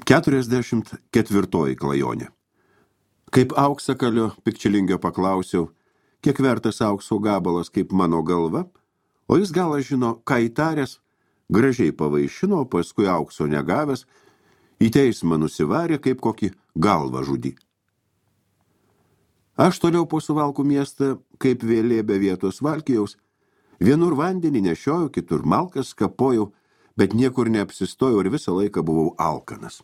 44 klajonė. Kaip auksakalio Pikčilingio paklausiau, kiek vertas aukso gabalas kaip mano galva, o jis galą žino, ką įtaręs, gražiai pavaišino, paskui aukso negavęs, į teismą nusivarė kaip kokį galvą žudį. Aš toliau po Suvalkų miestą, kaip vėlė be vietos Valkijaus, vienur vandenį nešioju, kitur malkas kapojau, bet niekur neapsistojau ir visą laiką buvau alkanas.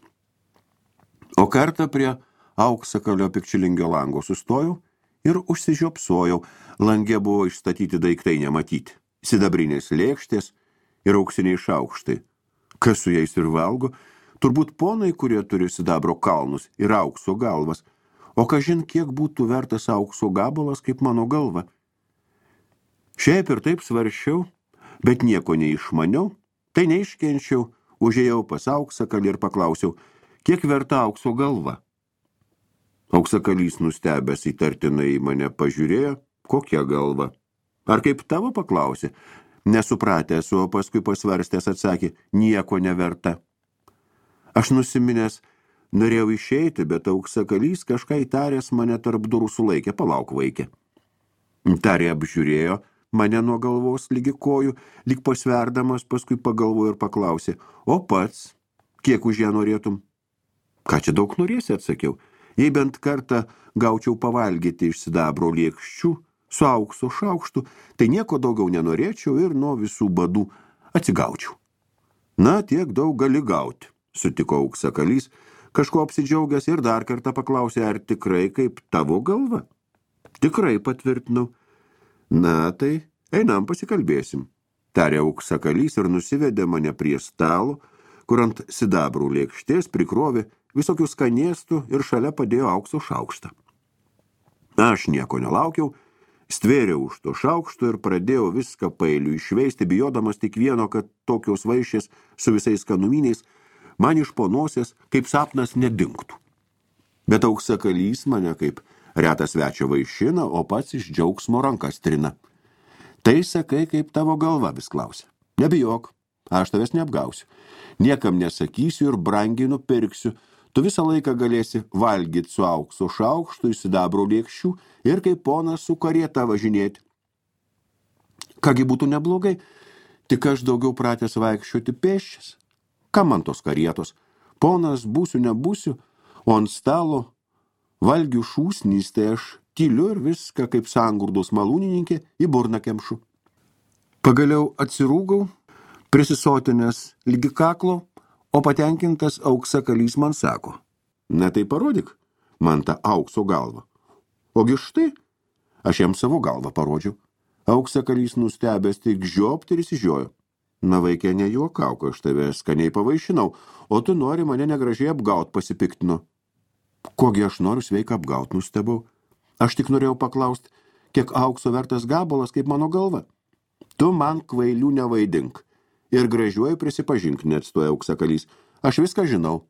O kartą prie auksakalio Pikčilingio lango sustojau ir užsižiopsojau, lange buvo išstatyti daiktai nematyti, sidabrinės lėkštės ir auksiniai šaukštai. Kas su jais ir valgo? Turbūt ponai, kurie turi sidabro kalnus ir aukso galvas, o kažin kiek būtų vertas aukso gabalas kaip mano galva. Šiaip ir taip svarsčiau, bet nieko neišmaniau, tai neiškenčiau, užėjau pas auksakalį ir paklausiau, kiek verta aukso galva. Auksakalys nustebęs įtartinai mane pažiūrėjo, kokia galva. Ar kaip tavo paklausė? Nesupratęs, o paskui pasvarstęs atsakė, nieko neverta. Aš nusiminęs, norėjau išeiti, bet auksakalys kažką įtaręs mane tarp durų sulaikė, palauk vaikė. Tarė apžiūrėjo mane nuo galvos lygi kojų, lyg pasverdamas, paskui pagalvojo ir paklausė, o pats, kiek už ją norėtum? Ką čia daug norėsi, atsakiau. Jei bent kartą gaučiau pavalgyti iš sidabro lėkščių su aukso šaukštu, tai nieko daugiau nenorėčiau ir nuo visų badų atsigaučiau. Na, tiek daug gali gauti, sutiko auksakalys, kažko apsidžiaugęs ir dar kartą paklausė, ar tikrai kaip tavo galva? Tikrai patvirtinau. Na, tai einam pasikalbėsim, tarė auksakalys ir nusivedė mane prie stalo, kur ant sidabrų lėkštės prikrovė visokių skanėstų ir šalia padėjo aukso šaukštą. Aš nieko nelaukiau, stvėriau už to šaukšto ir pradėjau viską pailiu išveisti, bijodamas tik vieno, kad tokios vaišės su visais skanuminiais man iš po nosies kaip sapnas nedingtų. Bet auksakalys mane kaip retas svečio vaišina, o pats iš džiaugsmo rankas trina. Tai sakai, kaip tavo galva, vis klausia. Nebijok, aš tavęs neapgausiu. Niekam nesakysiu ir brangiai nupirksiu. Tu visą laiką galėsi valgyti su aukso šaukštu iš sidabro lėkščių ir kaip ponas su karieta važinėti. Kągi būtų neblogai, tik aš daugiau pratęs vaikščioti pėsčias. Kam man tos karietos? Ponas būsiu, nebūsiu, o ant stalo valgių šūsnys, tai aš tyliu ir viską kaip sangurdos malūnininkė į burną kemšu. Pagaliau atsirūgau, prisisotinęs lygi kaklo, o patenkintas auksakalys man sako, na tai parodyk man tą aukso galvą. Ogi štai, aš jam savo galvą parodžiau. Auksakalys nustebęs tik žiopt ir įsižiojo. Na vaikė, nejuokauk, aš tave skaniai pavaišinau, o tu nori mane negražiai apgaut, pasipiktino. Kogi aš noriu sveiką apgaut, nustebau. Aš tik norėjau paklaust, kiek aukso vertas gabalas kaip mano galva. Tu man kvailių nevaidink. Ir gražiuoju prisipažink, neatstoja auksakalys. Aš viską žinau.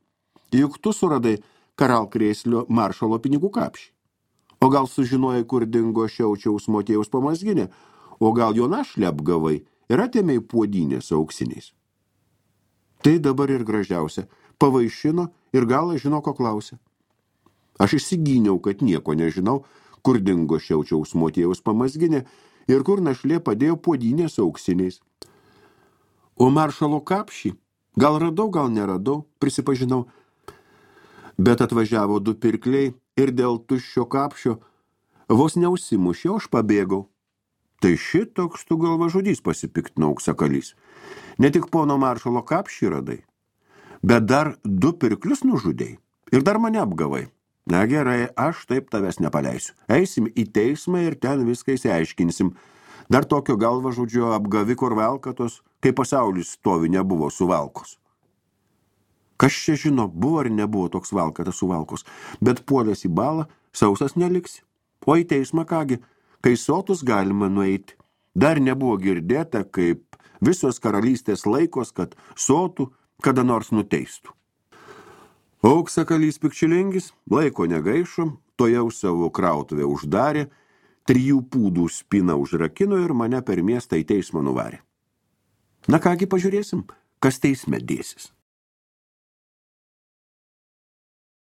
Juk tu suradai Karalkrėslio maršalo pinigų kapšį. O gal sužinojai, kur dingo Šiaučiaus Motiejaus pamazginė, o gal jo našlę apgavai ir atėmei puodynės auksiniais. Tai dabar ir gražiausia. Pavaišino ir galą žino, ko klausė. Aš išsigyniau, kad nieko nežinau, kur dingo Šiaučiaus Motiejaus pamazginė ir kur našlė padėjo puodynės auksiniais. O maršalo kapšį gal radau, gal neradau, prisipažinau. Bet atvažiavo du pirkliai ir dėl tuščio kapšio vos neužsimušė, aš pabėgau. Tai šitoks tu galvažudys, pasipiktino auksakalys. Ne tik pono maršalo kapšį radai, bet dar du pirklius nužudei ir dar mane apgavai. Na gerai, aš taip tavęs nepaleisiu. Eisim į teismą ir ten viską įsiaiškinsim. Dar tokio galvažudžio apgaviko ir valkatos, kai pasaulis stovi nebuvo suvalkos. Kas čia žino, buvo ar nebuvo toks valkatas suvalkos, bet puolės į balą, sausas neliksi. O į teismą kągi, kai sotus galima nueiti. Dar nebuvo girdėta, kaip visos karalystės laikos, kad sotų kada nors nuteistų. Auksakalys Pikčilingis laiko negaišo, tojau savo krautuvę uždarė, 3 pūdų spyną užrakino ir mane per miestą į teismą nuvarė. Na kągi pažiūrėsim, kas teisme dėsis.